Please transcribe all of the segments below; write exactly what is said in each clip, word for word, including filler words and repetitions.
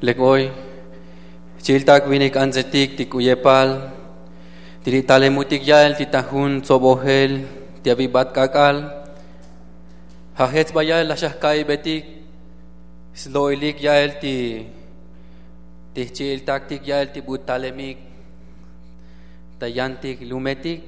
Lek oy chi'iltak vinik antsetik ti k'u yepal ti li' talemutik ya'el ti ta jun tsobojel ti avibat k'ak'al. Ja' jech sba ya'el laj xaj ka'ibetik slo'ilik ya'el ti ti jchi'iltaktik ya'el ti bu talemik ta yantik lumetik.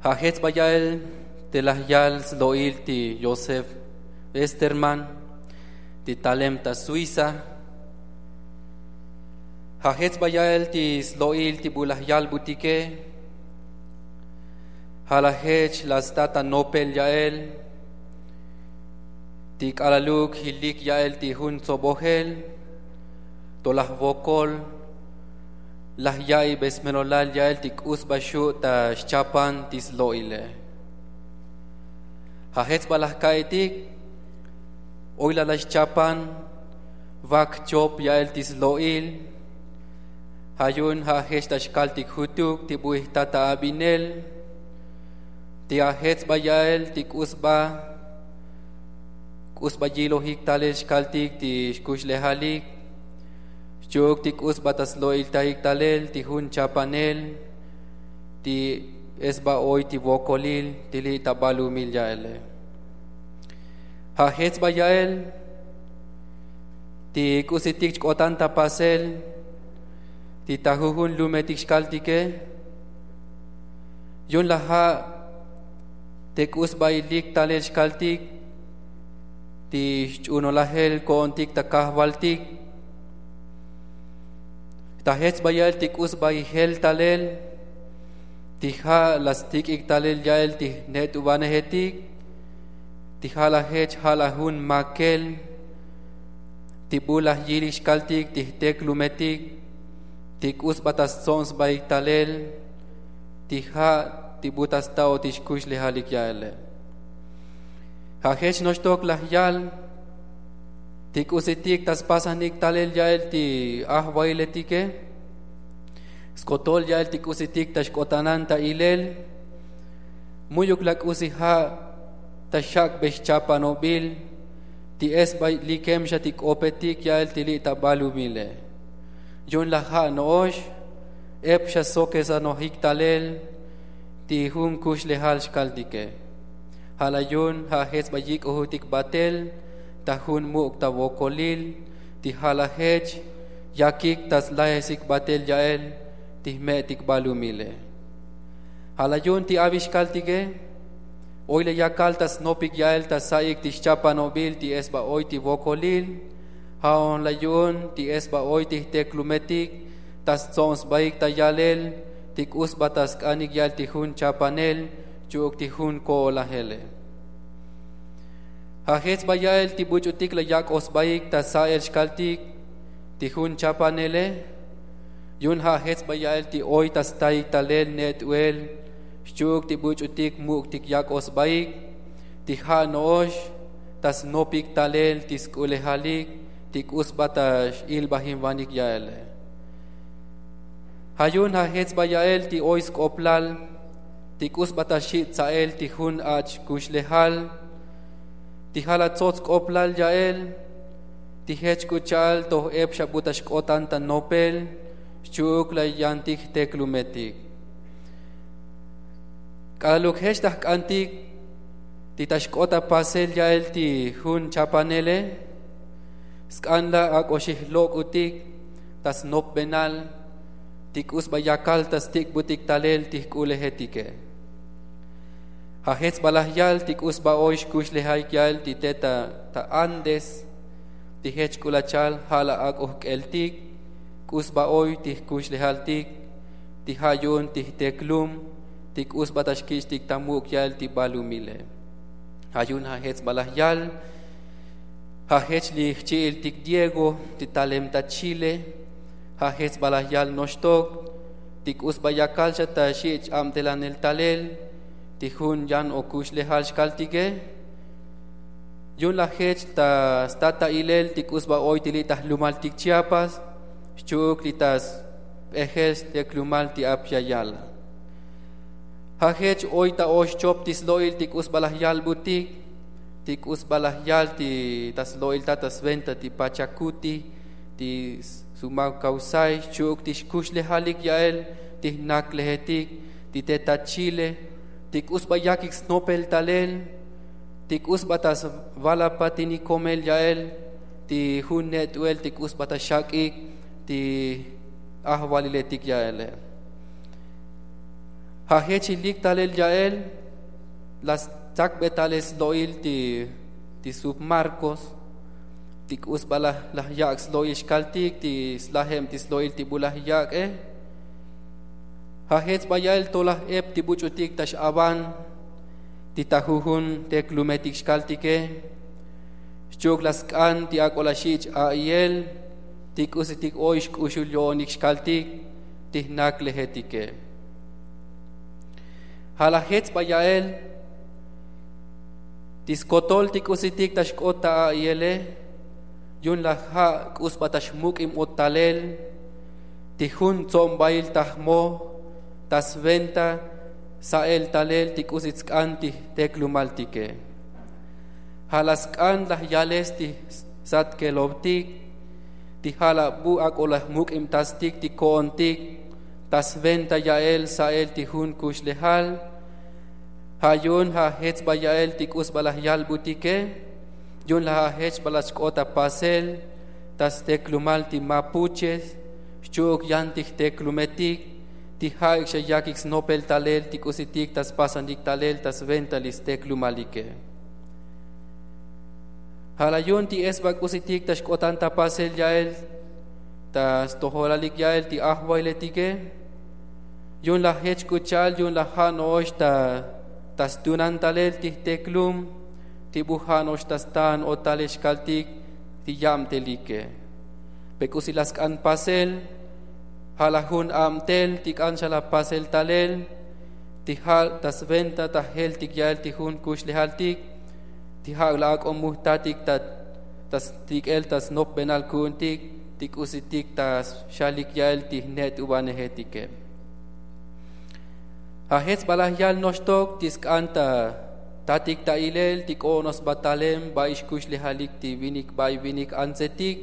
Ja' jech sba ya'el te laj yal slo'il ti yosef esterman ti talem ta suiza. Ja' jech sba ya'el ti slo'il ti bu laj yalbutike. Ja' laj jech laj sta ta nopel ya'el ti k'alaluk jilik ya'el ti jun tsobojel to laj vokol laj ya'ibe smelolal ya'el ti k'u sba xu' ta xchapan ti slo'ile. Ja' jech sba laj ka'itik oy laj laj xchapan vak chop ya'el ti slo'il. Ja' yu'un ja' jech ta xkaltik jutuk ti bu ijta ta abinel ti ja' jech sba ya'el ti k'u sba k'u sba yilojik talel xkaltik ti xkuxlejalik xchi'uk ti k'u sba ta slo'iltajik talel ti jun chapanel ti es sba oy ti vokolil ti li' ta balumil ya'ele. Ja' jech sba ya'el ti k'usitik chk'otan ta pasel ti ta jujun lumetik xkaltike. Yu'un laj ja' te k'u sba ilik talel xkaltik ti xch'unolajel ko'ontik ta kajvaltik. Ta jech sba ya'el ti k'u sba ijel talel ti ja' laj stik'ik talel ya'el ti jnet'uvanejetik ti ja' laj jech ja' laj jun makel ti bu laj yilik xkaltik ti jteklumetik ti k'u sba ta stsob sbaik talel ti ja' ti bu ta sta'otik xkuxlejalik ya'ele. Ja' jech noxtok laj yal ti k'usitik ta spasajnik talel ya'el ti ajvailetike skotol ya'el ti k'usitik ta xk'otanan ta ilel. Mu'yuk laj k'usi ja' ta xak'be xchapanobil ti es sba likem xa ti k'opetik ya'el ti li' ta balumile. Yu'un laj ja' no'ox ep xa sokesanojik talel ti jun kuxlejal xkaltike. Ja' laj yu'un ja' jech sba yik'ojutik batel ta jun muk' ta vokolil ti ja' laj jech yakik ta slajesik batel ya'el ti jme'tik balumile. Ja' laj yu'un ti avix kaltike oy laj yakal ta snopik ya'el ta sa'ik ti xchapanobil ti es sba oy ti vokolil. Ja'on laj yu'un ti es sba oy ti jteklumetik ta stsob sbaik ta yalel ti k'u sba ta sk'anik ya'el ti jun chapanel xchi'uk ti jun ko'olajele. Ja' jech sba ya'el ti buch'utik laj yak'oj sbaik ta sa'el xkaltik ti jun chapanele. Yu'un ja' jech sba ya'el ti oy ta staik talel net'uel xchi'uk ti buch'utik muk'tik yak'oj sbaik ti ja' no'ox ta snopik talel ti sk'ulejalik ti k'u sba ta x'ilbajinvanik ya'ele. Ja' yu'un ja' jech sba ya'el ti oy sk'oplal ti k'u sba ta xi' tsa'el ti jun ach' kuxlejal ti ja' laj tsots sk'oplal ya'el ti jech k'u cha'al toj ep xa bu ta xk'otan ta nopel xchi'uk laj yantik jteklumetik. K'alaluk jech ta jk'antik ti ta xk'ot ta pasel ya'el ti jun chapanele sk'an laj ak'oxij lok'utik ta snopbenal ti k'u sba yakal ta stik'butik talel ti jk'ulejetike. Ja' jech sba laj yal ti k'u sba oy xkuxlejaik ya'el ti te ta andes ti jech k'u laj chal ja' laj ak'oj k'eltik k'u sba oy ti jkuxlejaltik ti ja' yu'un ti jteklum ti k'u sba ta xkich'tik ta muk' ya'el ti balumile. Ja' yu'un ja' jech sba laj yal ja' jech li jchi'iltik diego ti talem ta chile. Ja' jech sba laj yal noxtok ti k'u sba yakal xa ta xi' ch-abtelanel talel ti jun yan o kuxlejal xkaltike. Yu'un laj jech ta stat ta ilel ti k'u sba oy ti li' ta jlumaltik chiapas xchi'uk li' ta sp'ejel steklumal ti ap ya yala. Ja' jech oy ta oxchop ti slo'il ti k'u sba laj yalbutik ti k'u sba laj yal ti ta slo'iltat ta sventa ti pachakuti ti sumav kawsay xchi'uk ti xkuxlejalik ya'el ti jnaklejetik ti te ta chile ti k'u sba yakik snopel talel ti k'u sba ta svalapatinikomel ya'el ti jun ne't'uel ti k'u sba ta xak'ik ti ajvaliletik ya'ele. Ja' jech ilik talel ya'el la stsakbe talel slo'il ti ti sub marcos ti k'u sba laj yak' slo'il xkaltik ti slajeb ti slo'il ti bu laj yak'e. Ja' jech sba ya'el to laj ep ti buch'utik ta x'avan ti ta jujun teklumetik xkaltike xchi'uk la sk'an ti ak'o la xich' a'i'el ti k'usitik oy xk'uxul yo'onik xkaltik ti jnaklejetike. Ja' la jech sba ya'el ti skotol ti k'usitik ta xk'ot ta a'i'ele yu'un la ja' k'u sba ta xmuk'ib o talel ti jun tsobbail ta jmoj ta sventa sa'el talel ti k'usi tsk'an ti jteklumaltike. Ja' la sk'an laj yales ti satkelovtik ti ja' la bu ak'o laj muk'ibtastik ti ko'ontik ta sventa ya'el sa'el ti jun kuxlejal. Ja' yu'un ja' jech sba ya'el ti k'u sba laj yalbutike yu'un laj ja' jech sba laj xk'ot ta pasel ta steklumal ti mapuches xchi'uk yan ti jteklumetik ti ja'ik xa yakik snopel talel ti k'usitik ta spasanik talel ta sventa li steklumalike. Ja' la yu'un ti esba k'usitik ta xk'otan ta pasel ya'el ta stojolalik ya'el ti ajvailetike yu'un la jech k'u cha'al yu'un la ja' no'ox ta stunan talel ti jteklum ti bu ja' no'ox ta staan o talel xkaltik ti yabtelike. Pe k'usi la sk'an pasel ja' la jun abtel ti k'an xa la pasel talel ti ja' ta sventa ta jeltik ya'el ti jun kuxlejaltik ti ja' la ak'o mujtatik ta stik'el ta snopbenal ku'untik ti k'usitik ta xalik ya'el ti jnet'ubanejetike. Ja' jech sba laj yal noxtok ti sk'an ta tatik ta ilel ti k'o'onoj sba talem ba'i xkuxlejalik ti vinik ba'i vinik antsetik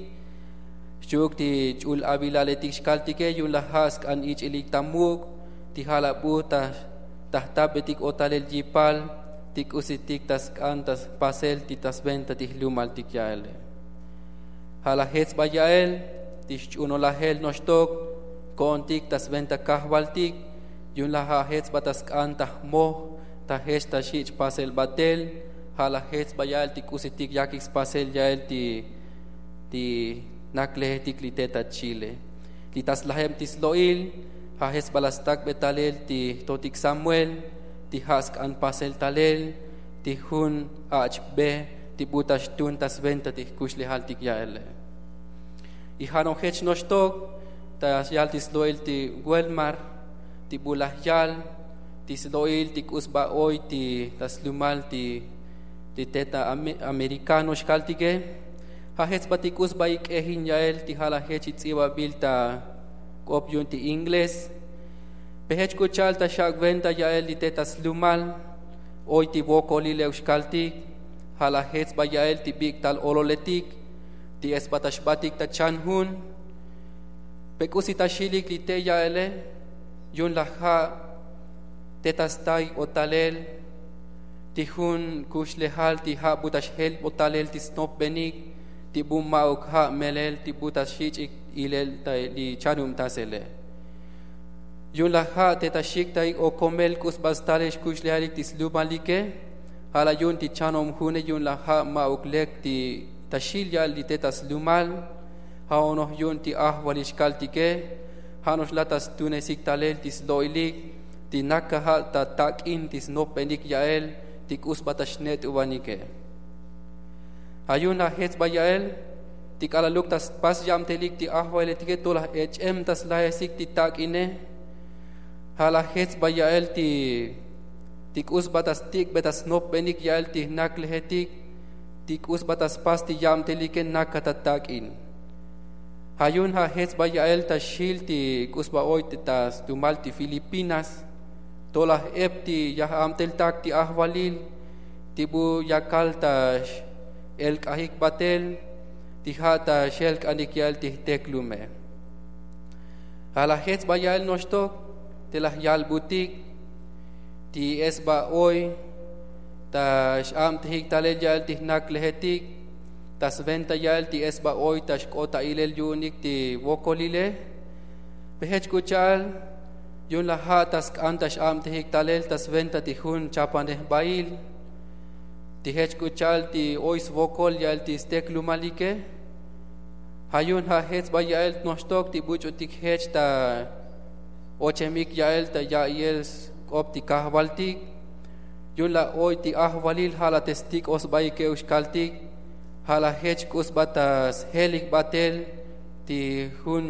xchi'uk ti ch'ul avilaletik xkaltike yu'un laj ja' sk'an ich'ilik ta muk' ti ja' la bu ta jtabetik o talel yipal ti k'usitik ta sk'an ta spasel ti ta sventa ti jlumaltik ya'ele. Ja' laj jech sba ya'el ti xch'unolajel noxtok ko'ontik ta sventa kajvaltik yu'un laj ja' jech sba ta sk'an ta jmoj ta jech ta xich' pasel batel. Ja' laj jech sba ya'el ti k'usitik yakik spasel ya'el ti ti naklejetik li te ta chile li ta slajeb ti slo'il ja' jech sba la stakbe talel ti jtotik samuel ti ja' sk'an pasel talel ti jun ach' be ti bu ta xtun ta sventa ti jkuxlejaltik ya'ele. Y ja' no'ox jech noxtok ta yal ti slo'il ti welmar ti bu laj yal ti slo'il ti k'u sba oy ti ta slumal ti ti te ta amerikano xkaltike. Ja' jech sba ti k'u sba ik'ejin ya'el ti ja' laj jech its'ibabil ta k'op yu'un ti inglés. Pe jech k'u cha'al ta xak' venta ya'el li te ta slumal oy ti vokolilev xkaltik ja' laj jech sba ya'el ti bik'tal ololetik ti es sba ta xbatik ta chan jun. Pe k'usi ta xilik li te ya'ele yu'un laj ja' te ta staik o talel ti jun kuxlejal ti ja' bu ta xjelb o talel ti snopbenik ti bu ma'uk ja' melel ti bu ta xich' ilel li chanubtasele. Yu'un laj ja' te ta xiktaik o komel k'u sba stalel xkuxlejalik ti slumalike. Ja' laj yu'un ti chanob june yu'un laj ja' ma'uk lek ti ta xil ya'el li te ta slumal. Ja' onoj yu'un ti ajvalil xkaltike ja' no'ox la ta stunesik talel ti slo'ilik ti nakaj ja' ta tak'in ti snopbenik ya'el ti k'u sba ta xnet'ubanike. Ja' yu'un laj jech sba ya'el ti k'alaluk ta spas yabtelik ti ajvailetike to laj ech'em ta slajesik ti tak'ine. Ja' laj jech sba ya'el ti ti k'u sba ta stik'be ta snopbenik ya'el ti jnaklejetik ti k'u sba ta spas ti yabtelike nakaj ta tak'in. Ja' yu'un ja' jech sba ya'el ta xil ti k'u sba oy ta stumal ti filipinas to laj ep ti yaj abteltak ti ajvalil ti bu yakal ta x'elk'ajik batel. ti ja' ta xel k'anik ya'el ti jteklume. Ja' laj jech sba ya'el noxtok te laj yalbutik ti esba oy ta x'abtejik talel ya'el ti jnaklejetik ta sventa ya'el ti esba oy ta xk'ot ta ilel yu'unik ti wokolile. Pe jech k'u cha'al yu'un laj ja' ta sk'an ta x'abtejik talel ta sventa ti jun chapanej jbail ti jech k'u cha'al ti oy svokol ya'el ti steklumalike. Ja' yu'un ja' jech sba ya'el noxtok ti buch'utik jech ta ochemik ya'el ta ya'iyel sk'op ti kajvaltik. Yu'un laj oy ti ajvalil ja' laj te stik'o sbaik euk xkaltik. Ja' laj jech k'u sba ta sjelik batel ti jun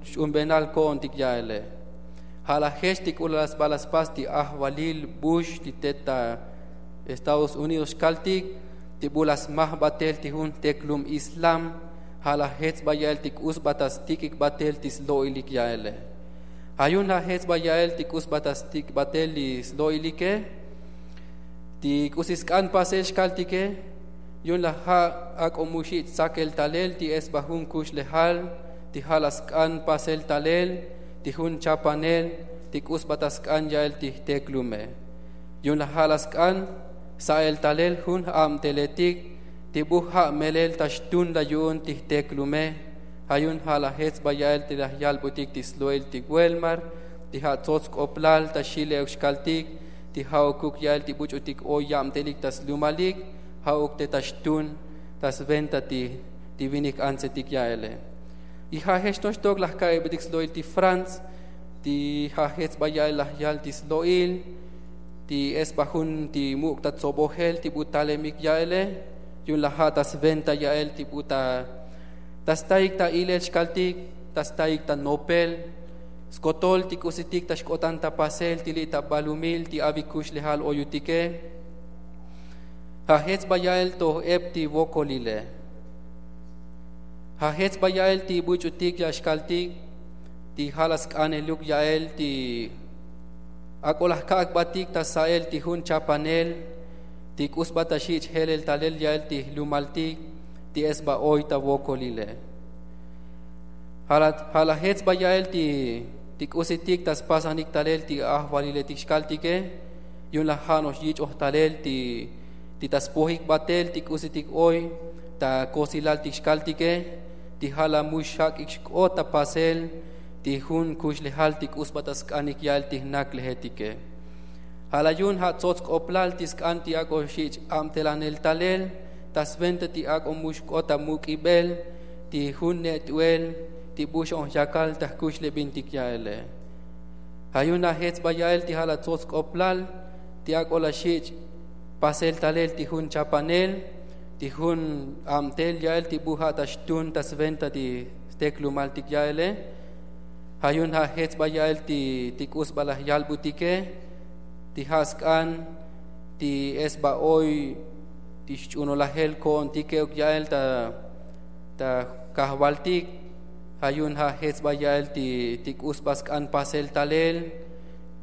xch'unbenal ko'ontik ya'ele. Ja' laj jech ti k'u laj sba laj spas ti ajvalil bux ti tet ta estados unidos xkaltik ti bu laj smaj batel ti jun jteklum islam. Ja' laj jech sba ya'el ti k'u sba ta stik'ik batel ti slo'ilik ya'ele. Ja' yu'un ja' jech sba ya'el ti k'u sba ta stik' batel li slo'ilike ti k'usi sk'an pasel xkaltike. Yu'un laj ja' ak'o mu xich' tsakel talel ti esba jun kuxlejal ti ja' laj sk'an pasel talel ti jun chapanel ti k'u sba ta sk'an ya'el ti jteklume. Yu'un laj ja' laj sk'an sa'el talel jun j'abteletik ti bu ja' melel ta xtun laj yu'un ti jteklume. Ja' yu'un ja' laj jech sba ya'el ti laj yalbutik ti slo'il ti welmar ti ja' tsots sk'oplal ta xil euk xkaltik ti ja'ukuk ya'el ti buch'utik oy yabtelik ta slumalik ja'uk te ta xtun ta sventa ti ti vinik antsetik ya'ele. Y ja' jech noxtok laj ka'ibtik slo'il ti frantz ti ja' jech sba ya'el laj yal ti slo'il ti esba jun ti muk' ta tsobojel ti bu talemik ya'ele. Yu'un laj ja' ta sventa ya'el ti bu ta ta staik ta ilel xkaltik ta staik ta nopel skotol ti k'usitik ta xk'otan ta pasel ti li' ta balumil ti avik kuxlejal oyutike. Ja' jech sba ya'el toj ep ti wokolile. Ja' jech sba ya'el ti buch'utik ya' xkaltik ti ja' laj sk'aneluk ya'el ti ak'o laj ka'ak batik ta sa'el ti jun chapanel ti k'u sba ta xich' jelel talel ya'el ti jlumaltik ti esba oy ta wokolile. Ja' laj jech sba ya'el ti k'usitik ta spasanik talel ti ajvaliletik xkaltike. Yu'un laj ja' no'ox yich'oj talel ti ta spojik batel ti k'usitik oy ta kosilaltik xkaltike ti ja' laj mu xak'ik xk'ot ta pasel ti jun kuxlejal ti k'u sba ta sk'anik ya'el ti jnaklejetike. Ja' laj yu'un ja' tsots sk'oplal ti sk'an ti ak'o xich' abtelanel talel ta sventa ti ak'o mu xk'ot ta muk'ibel ti jun ne't'uel ti bu xon yakal ta jkuxlebintik ya'ele. Ja' yu'un ja' jech sba ya'el ti ja' laj tsots sk'oplal ti ak'o laj xich' pasel talel ti jun chapanel ti jun abtel ya'el ti bu ja' ta xtun ta sventa ti steklumaltik ya'ele. Ja' yu'un ja' jech sba ya'el ti k'u sba laj yalbutike ti ja' sk'an ti esba oy ti xch'unolajel ko'ontik euk ya'el ta ta kajvaltik. Ja' yu'un ja' jech sba ya'el ti k'u sba sk'an pasel talel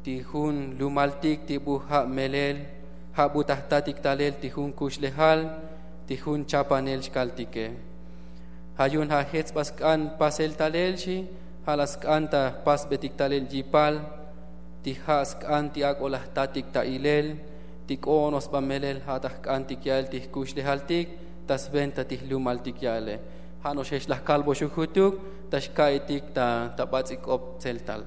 ti jun lumaltik ti bu ja' melel ja' bu ta jtatik talel ti jun kuxlejal ti jun chapanel xkaltike. Ja' yu'un ja' jech sba sk'an pasel talel xi ja' laj sk'an ta jpasbetik talel yipal ti ja' sk'an ti ak'o laj jtatik ta ilel ti k'o'ono sba melel ja' ta jk'antik ya'el ti jkuxlejaltik ta sventa ti jlumaltik ya'ele. Ja' no'ox jech laj kalboxuk jutuk ta xka'itik ta bats'il k'op tseltal.